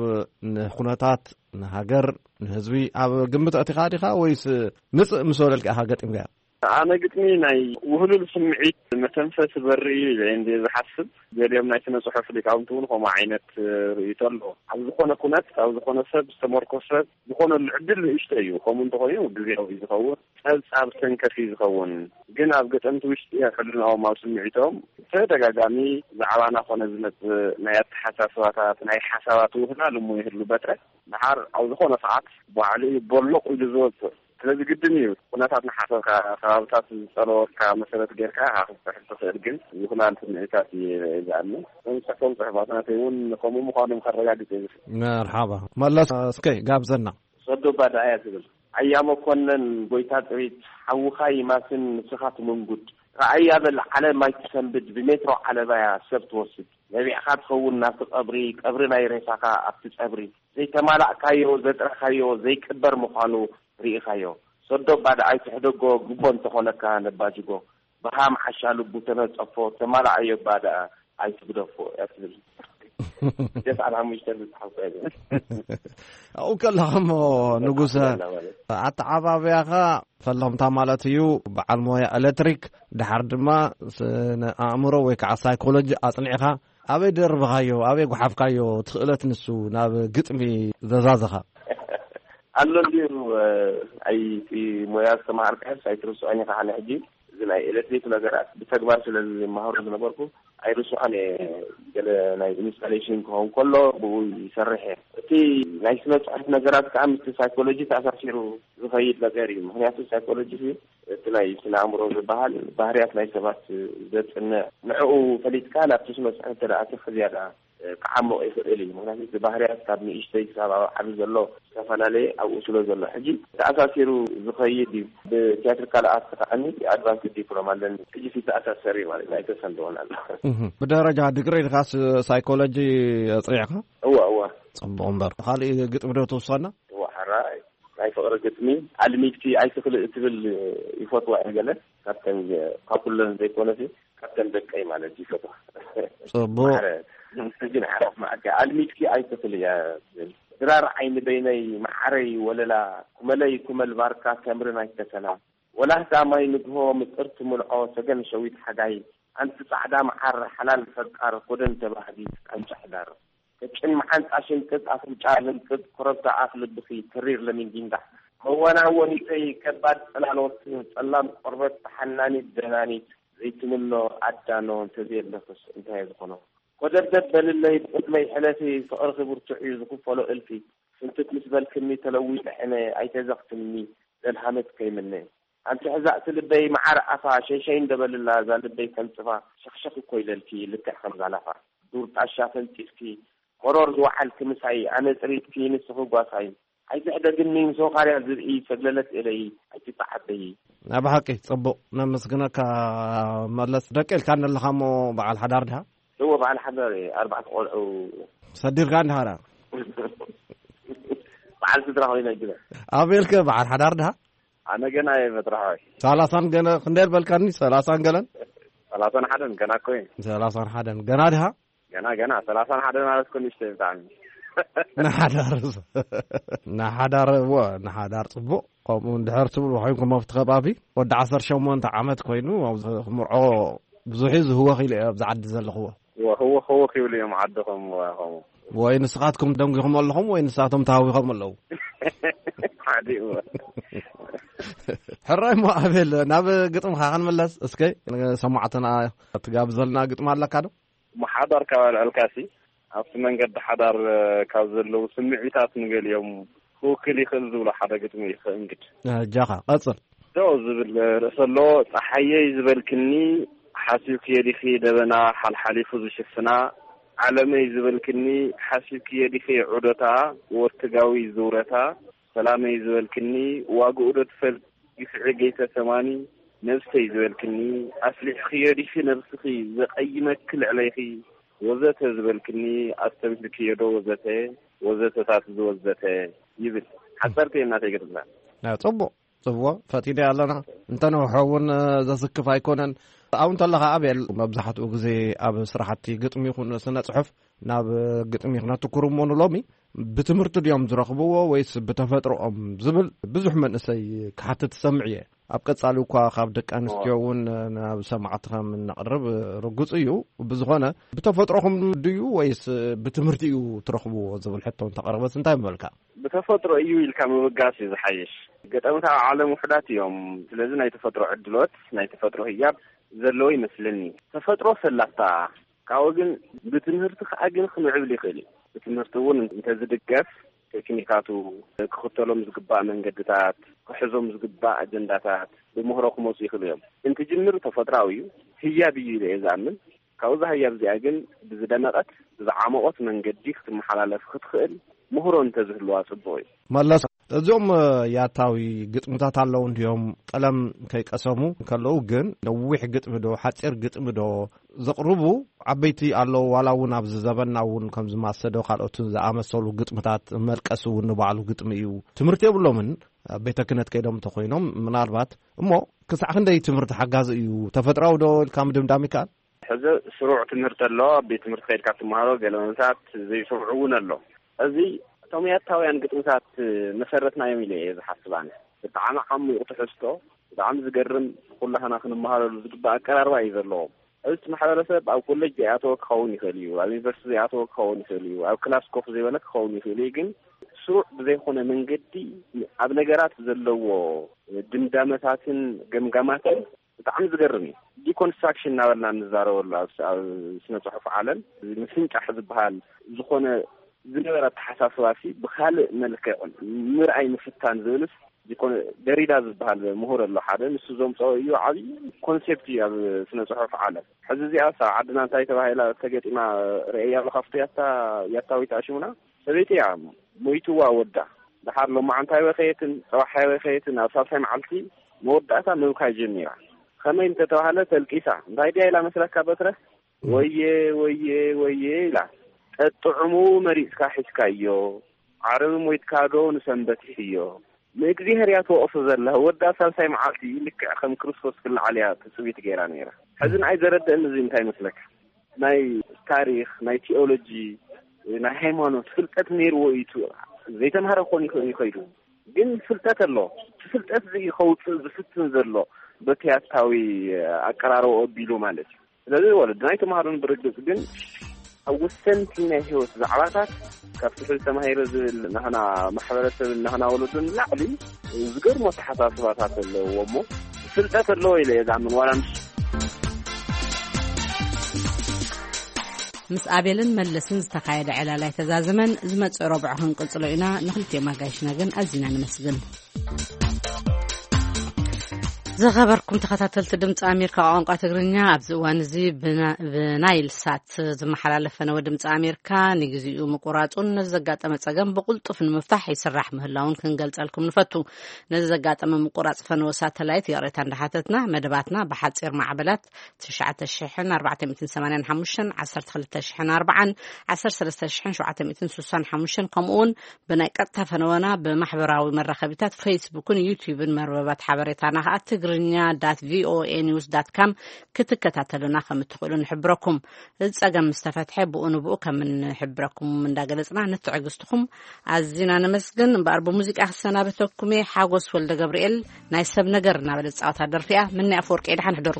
ንኹነታት ንሃገር ንህዝቢ ኣብ ግምት ኣእቲኻ ዲኻ ወይስ ምጽእ ምስ ወለልካ ኢኻ ገጢምካዮ? ኣነ ግጥሚ ናይ ውህሉል ስምዒት መተንፈሲ በሪ እዩ ኢለ እንደ ዝሓስብ። ገሊኦም ናይ ስነ ጽሑፍ ሊቃውንቲ እውን ከምኡ ዓይነት ርእይቶ ኣለዎ። ኣብ ዝኾነ ኩነት ኣብ ዝኾነ ሰብ ዝተመርኮሰ ዝኾነሉ ዕድል ንእሽቶ እዩ። ከምኡ እንተኾይኑ ግዜያዊ እዩ ዝኸውን፣ ጸብጻብ ሰንከፍ እዩ ዝኸውን። ግን ኣብ ገጠምቲ ውሽጢ ኣብ ሕልናኦም ኣብ ስምዒቶም ተደጋጋሚ ዛዕባና ኮነ ዝመጽእ ናይ ኣተሓሳስባታት ናይ ሓሳባት ውህላል እሞ ይህሉ በትረ ድሓር ኣብ ዝኾነ ሰዓት ባዕሉ እዩ ቦሎቕ ኢሉ ዝወጽእ። ስለዚ ግድን እዩ ኩነታት ንሓሰብካ ከባብታት ዝጸለወካ መሰረት ጌርካ ኢኻ ክትጽሕፍ ትኽእል፣ ግን ዝኹላል ስምዒታት እዩ ዝኣምን። እቶም ጽሕፎም ጽሑፋት ናተይ እውን ከምኡ ምዃኖም ከረጋግጽ እየ። መርሓባ መለስ እስከ ጋብዘና። ሰዶ ባድኣያ ትብል ኣያ መኮነን ጎይታ ጥሪት ሓውኻ ይማስን ንስኻ ትምንጉድ ረኣያ በል ዓለም ኣይትሰንብድ ብሜትሮ ዓለባያ ሰብ ትወስድ ነቢዕኻ ትኸውን ናብቲ ቀብሪ ቀብሪ ናይ ሬሳኻ ኣብቲ ጸብሪ ዘይተማላእካዮ ዘጥረኻዮ ዘይቅበር ምዃኑ ርኢኻዮ ሰዶ ባድኣይ ትሕደጎ ግቦ እንተኾነካ ነባጅጎ ብሃም ዓሻ ልቡ ተነጸፎ ተማላኣዮ ባድኣ ኣይትግደፎ እያ ትብል። ደስ ኣብ ሓሙሽተ ዝጽሓፍ እያ። ኣብኡ ከለኻ እሞ ንጉሰ ኣተዓባብያኻ ፈለምታ ማለት እዩ በዓል ሞያ ኤሌክትሪክ ድሓር ድማ ስነ ኣእምሮ ወይ ከዓ ሳይኮሎጂ ኣጽኒዕኻ ኣበይ ደርብኻዮ ኣበይ ጓሓፍካዮ ትኽእለት ንሱ ናብ ግጥሚ ዘዛዘኻ? ኣሎ እንዲዩ። ኣይ ሞያ ዝተማሃርካዮስ ኣይትርስዖን ኢኻ። ኣነ ሕጂ እዚ ናይ ኤሌክትሪክ ነገራት ብተግባር ስለ ዝመሃሮ ዝነበርኩ ኣይርስዖን እየ። ገለ ናይ ኢንስታሌሽን ክኸውን ከሎ ብኡ ይሰርሕ እየ። እቲ ናይ ስነ ጽሑፍ ነገራት ከዓ ምስቲ ሳይኮሎጂ ተኣሳሲሩ ዝኸይድ ነገር እዩ። ምክንያቱ ሳይኮሎጂ እቲ ናይ ስነ ኣእምሮ ዝበሃል ባህርያት ናይ ሰባት ዘጽንዕ ንዕኡ ፈሊጥካ ናብቲ ስነ ጽሑፍ ተደኣትኻ ዝያዳ ክዓምቕ ይኽእል እዩ። ምክንያቱ እቲ ባህርያት ካብ ንእሽተይ ክሳብ ኣብ ዓቢ ዘሎ ዝተፈላለየ ኣብኡ ስለ ዘሎ ሕጂ ተኣሳሲሩ ዝኸይድ እዩ። ብቲያትሪካል ኣርት ከዓኒ ኣድቫንስድ ዲፕሎማ ኣለኒ። ሕጂ ዝተኣሳሰር እዩ ማለት ኣይተሰንደወን ኣሎ። ብደረጃ ድግሪ ኢልካስ ሳይኮሎጂ ኣጽኒዕካ? እዋ እዋ። ጽቡቕ እምበር ካልእ ግጥሚ ዶ ትውስኸና? እዋ ሓራይ ናይ ፍቕሪ ግጥሚ ኣልሚድኪ ኣይትኽልእ እትብል ይፈትዋ እየ ገለ ካብተን ካብ ኩለን ዘይኮነሲ ካብተን ደቀይ ማለት ይፈትዋ። ጽቡቕ። ማዕረ ግን ሓራፍ ማዕከ ኣልሚድኪ ኣይትኽል እያ ትብል ድራር ዓይኒ በይነይ ማዕረይ ወለላ ኩመለይ ኩመል ባርካ ተምርን ኣይተሰላ ወላህታ ማይ ንግሆ ምጥርቲ ሙልዖ ሰገን ሸዊት ሓጋይ ኣንቲ ጻዕዳ መዓር ሓላል ፈቃር ኮደን ተባህጊት ቃንጫ ሕዳር ከጭን መዓንጣ ሽንቅጥ ኣፍንጫ ልንቅጥ ኮረብታ ኣፍ ልብኺ ተሪር ለሚን ጊንዳዕ መወናወኒተይ ከባድ ጽላሎት ጸላም ቆርበት ተሓናኒት ደናኒት ዘይትምኖ ኣዳኖ እንተዘየለኽስ እንታይ ዝኾኖ ኮደብደብ በልለይ ብቕድመይ ሕለፊ ፍቕርኺ ብርቱዕ እዩ ዝኽፈሎ እልፊ ፍንትት ምስ በልክኒ ተለዊጠ ሕነ ኣይተዘኽትምኒ ዘልሃመት ከይምነ ኣንቲ ሕዛእቲ ልበይ መዓር ኣፋ ሸይሸይ እንደበልላ እዛ ልበይ ተንጽፋ ሸኽሸኽ እኮ ኢለልኪ ልክዕ ከም ዛላፋ ዱር ጣሻ ተንጺፍኪ መሮር ዝወዓልኪ ምሳይ ኣነ ጥሪትኪ ንስኺ ጓሳይ ኣይትሕደግኒ ምስ ወኻርያ ዝብኢ ሰግለለት ኢለይ ኣይትተዓበዪ። ኣብ ሓቂ ጽቡቕ ነመስግነካ መለስ ደቂ ኢልካ ኣለኻ እሞ በዓል ሓዳር ድሃ እዎ በዓል ሓዳር እየ ኣርባዕተ ቆልዑ ሰዲርካ እንድሃራ በዓል ስድራ ኮይነ ግደ ኣቤልከ በዓል ሓዳር ድሃ ኣነ ገና እየ መጥራሕዋይ ሰላሳን ገለ ክንደይ በልካኒ ሰላሳን ገለን ሰላሳን ሓደን ገና እኮ እየ ሰላሳን ሓደን ገና ድሃ ገና ገና ሰላሳን ሓደን ማለት እኮ ንእሽተይ ብጣዕሚ ንሓዳር ንሓዳር እዎ ንሓዳር ጽቡቕ ከምኡ እንድሕር ትብሉ ኮይንኩም ኣብቲ ከባቢ ወዲ ዓሰርተ ሸሞንተ ዓመት ኮይኑ ኣብዚ ክምርዖ ብዙሕ እዩ ዝህወኽ ኢለ ኣብዚ ዓዲ ዘለኽዎ ህወኽ ህወኽ ይብሉ እዮም ዓድኹም ከምኡ ወይ ንስኻትኩም ደንጒኹም ኣለኹም ወይ ንሳቶም ተሃዊኾም ኣለዉ ሓዲኡ ሕራይ እሞ ኣቤል ናብ ግጥምኻ ክንምለስ እስከ ሰማዕትና ትጋብዘልና ግጥሚ ኣለካ ዶ እሞ ሓዳር ካብ ኣልዐልካሲ ኣብቲ መንገዲ ሓዳር ካብ ዘለዉ ስምዒታት ንገሊኦም ክውክል ይኽእል ዝብሎ ሓደ ግጥሚ እዩ ከእንግድ። ኣጃኻ ቀጽል። ደው ዝብል ርእሲ ኣሎ። ጸሓየይ ዝበልክኒ ሓሲብክዮ ዲኺ ደበና ሓልሓሊፉ ዝሽፍና? ዓለመይ ዝበልክኒ ሓሲብክዮ ዲኺ ዑደታ ወርትጋዊ ዝውረታ? ሰላመይ ዝበልክኒ ዋግኡ ዶ ትፈልጥ ግፍዒ ገይተ ሰማኒ? ነብሰይ ዝበልክኒ ኣስሊሕኽዮ ዲኺ ነብስኺ ዘቐይመኪ ልዕለይኺ? ወዘተ ዝበልክኒ ኣስተብሂልክዮ ዶ ወዘተ ወዘተታት ዝወዘተ? ይብል። ሓፀርቲ እየ እናተይ ገድላ። ጽቡቕ። ጽቡቕ፣ ፈቲደ ኣለና። እንተነውሖ እውን ዘስክፍ ኣይኮነን። ኣብኡ እንተለኻ ኣቤል፣ መብዛሕትኡ ግዜ ኣብ ስራሕቲ ግጥሚ ይኹን ስነ ጽሑፍ ናብ ግጥሚ ክነትኩር እሞ ንሎሚ ብትምህርቲ ድዮም ዝረኽብዎ ወይስ ብተፈጥሮኦም ዝብል ብዙሕ መንእሰይ ክሓትት ሰምዕ እየ። ኣብ ቀጻሊ እኳ ካብ ደቂ ኣንስትዮ እውን ናብ ሰማዕቲ ከም እነቕርብ ርጉጽ እዩ። ብዝኾነ ብተፈጥሮኹም ድዩ ወይስ ብትምህርቲ እዩ ትረኽብዎ ዝብል ሕቶ እንተቐረበስ እንታይ ምበልካ? ብተፈጥሮ እዩ ኢልካ ምብጋስ እዩ ዝሓይሽ። ገጠመታት ኣብ ዓለም ውሑዳት እዮም። ስለዚ ናይ ተፈጥሮ ዕድሎት፣ ናይ ተፈጥሮ ህያብ ዘለዎ ይመስለኒ። ተፈጥሮ ሰላታ ካብኡ ግን ብትምህርቲ ከዓ ግን ክምዕብል ይኽእል እዩ። ብትምህርቲ እውን እንተዝድገፍ ቴክኒካቱ፣ ክኽተሎም ዝግባእ መንገድታት፣ ክሕዞም ዝግባእ ኣጀንዳታት ብምህሮ ክመፁ ይኽእሉ እዮም። እንትጅምር ተፈጥራዊ እዩ፣ ህያብ እዩ ኢለ እየ ዝኣምን። ካብኡ ዛህያብ እዚኣ ግን ብዝደመቐት ብዝዓመቖት መንገዲ ክትመሓላለፍ ክትኽእል ምህሮ እንተዝህልዋ ጽቡቕ እዩ። መለስ፣ እዞም ያታዊ ግጥምታት ኣለዉ እንዲዮም፣ ቀለም ከይቀሰሙ ከለዉ ግን ነዊሕ ግጥሚ ዶ ሓጺር ግጥሚ ዶ ዘቕርቡ ዓበይቲ ኣለዉ። ዋላ እውን ኣብዚ ዘበንና እውን ከምዚ ማሰዶ ካልኦትን ዝኣመሰሉ ግጥምታት፣ መልቀስ እውን ንባዕሉ ግጥሚ እዩ። ትምህርቲ የብሎምን። ኣብ ቤተ ክህነት ከይዶም እንተኾይኖም ምናልባት፣ እሞ ክሳዕ ክንደይ ትምህርቲ ሓጋዚ እዩ? ተፈጥራዊ ዶ ኢልካ ምድምዳም ይከኣል? ሕዚ ስሩዕ ትምህርቲ ኣሎ። ኣብ ቤት ትምህርቲ ከይድካ ትመሃሮ፣ ገለ መምሳት ዘይስሩዕ እውን ኣሎ። እዚ እቶም ያታውያን ግጥምታት መሰረትናዮም ኢለ እየ ዝሓስብ ኣነ። ብጣዕሚ ዓሚቕ ትሕዝቶ፣ ብጣዕሚ ዝገርም፣ ኩላህና ክንመሃረሉ ዝግባእ ኣቀራርባ እዩ ዘለዎም። እዚ ማሕበረሰብ ኣብ ኮሌጅ ዘይኣተወ ክኸውን ይኽእል እዩ፣ ኣብ ዩኒቨርሲቲ ዘይኣተወ ክኸውን ይኽእል እዩ፣ ኣብ ክላስ ኮፍ ዘይበለ ክኸውን ይኽእል እዩ። ግን ስሩዕ ብዘይኮነ መንገዲ ኣብ ነገራት ዘለዎ ድምዳመታትን ገምጋማትን ብጣዕሚ ዝገርም እዩ። ዲኮንስትራክሽን እናበልና እንዛረበሉ ኣብ ስ-፣ ኣብ ስነ ጽሑፍ ዓለም፣ እዚ ምፍንጫሕ ዝበሃል ዝኾነ ዝነበረ ኣተሓሳስባ ሲ ብኻልእ መልክዕ ምርኣይ ምፍታን ዝብልስ ዲኮን-፣ ደሪዳ ዝበሃል ምሁር ኣሎ ሓደ፣ ንሱ ዘምፀኦ እዩ፣ ዓብዪ ኮንሴፕት እዩ ኣብ ስነ ጽሑፍ ዓለም። ሕዚ እዚኣስ ኣብ ዓድና እንታይ ተባሂላ ተገጢማ ርእያ ኣለኻ? ፍቱ ያታ-፣ ያታዊት ኣሽሙና ሰበይቲ እያ ሞይትዋ ወዳ። ደሓር ሎማዓንታይ ወኸየትን ፀባሓይ ወኸየትን ኣብ ሳልሳይ መዓልቲ መወዳእታ ምብካይ ጀሚራ። ከመይ እንተተባህለ ተልቂሳ። እንታይ ድያ ኢላ መስለካ በትረ? ወየ፣ ወየ፣ ወየ ኢላ። ጠጥዕሙ መሪፅካ ሒዝካዮ፣ ዓርቢ ሞይትካ ዶ ንሰንበት ይሕዮ? ንእግዚኣብሔር እያ ትወቕሶ ዘላ። ወዳ ሳልሳይ መዓልቲ ልክዕ ከም ክርስቶስ ክለዓል እያ ትፅቢት ገይራ ነይራ። ሕዚ ንዓይ ዘረድአኒ እዚ እንታይ መስለካ? ናይ ታሪኽ፣ ናይ ቲኦሎጂ፣ ናይ ሃይማኖት ፍልጠት ነይርዎ እዩ። ዘይተምሃረ ክኾን ይኽእል እዩ ከይዱ። ግን ፍልጠት ኣሎ። እቲ ፍልጠት እዚ ከውፅእ ዝፍትን ዘሎ በቲ ያታዊ ኣቀራርባ ኣቢሉ ማለት እዩ። ስለዚ ወለድና ኣይተምሃሩን ብርግፅ፣ ግን ኣብ ወሰንቲ ናይ ህይወት ዛዕባታት ካብቲ ሕዚ ተማሂረ ዝብል ናህና ማሕበረሰብን ናህና ወለዶን ንላዕሊ ዝገርሙ ኣተሓሳስባታት ኣለዎ እሞ ፍልጠት ኣለዎ ኢለ እየ ዝኣምን። ዋላ ምስ ምስ ኣቤልን መለስን ዝተኻየደ ዕላል ኣይተዛዘመን። ዝመጽእ ረቡዕ ክንቅጽሎ ኢና። ንኽልቲኦም ኣጋይሽና ግን ኣዚና ነመስግን። ዝኸበርኩም ተኸታተልቲ ድምፂ ኣሜሪካ ቋንቋ ትግርኛ፣ ኣብዚ እዋን እዚ ብና-፣ ብናይል ሳት ዝመሓላለፍ ፈነወ ድምፂ ኣሜሪካ ንግዚኡ ምቁራፁን ነዚ ዘጋጠመ ፀገም ብቕልጡፍ ንምፍታሕ ይስራሕ ምህላውን ክንገልፀልኩም ንፈቱ። ነዚ ዘጋጠመ ምቁራፅ ፈነወ ሳተላይት ይቕሬታ እንዳሓተትና፣ መደባትና ብሓፂር ማዕበላት ትሽዓተ ሽሕን ኣርባዕተ ሚእትን ሰማንያን ሓሙሽተን፣ ዓሰርተ ክልተ ሽሕን ኣርባዓን፣ ዓሰርተ ሰለስተ ሽሕን ሸውዓተ ሚእትን ስሳን ሓሙሽተን፣ ከምኡ እውን ብናይ ቀጥታ ፈነወና ብማሕበራዊ መራኸቢታት ፌስቡክን ዩትዩብን መርበባት ሓበሬታና ከዓ ትግርኛ ዳት ቪኦኤ ኒውስ ዳት ካም ክትከታተሉና ከም እትኽእሉ ንሕብረኩም። እዚ ጸገም ምስ ተፈትሐ ብኡ ንብኡ ከም እንሕብረኩም እንዳገለጽና ንትዕግስትኹም ኣዚና ነመስግን። እምበኣር ብሙዚቃ ክሰናበተኩም እየ። ሓጎስ ወልደ ገብርኤል ናይ ሰብ ነገር እናበለ ዝጻወታ ደርፊ እያ። ምኒ ኣፈወርቂ ደሓን ሕደሩ።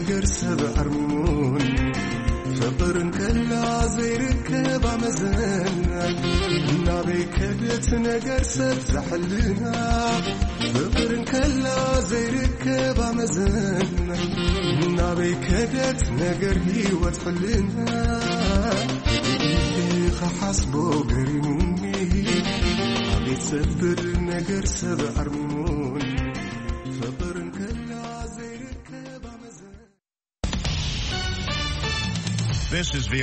ነገር ሰብ ኣርሚሙን ፍቕር እንከላ ዘይርከብ ኣመዘና ናበይ ከደት ነገር ሰብ ዘሕልና ፍቕር እንከላ ዘይርከብ ኣመዘና ናበይ ከደት ነገር ህይወት ሕልና ኢኻ ሓስቦ ገሪሙኒ ኣቤት ዘብር ነገር ሰብ ኣርሚሙን ፍቕር እንከላ ዘይርከብ ኣመዘና This is V O A.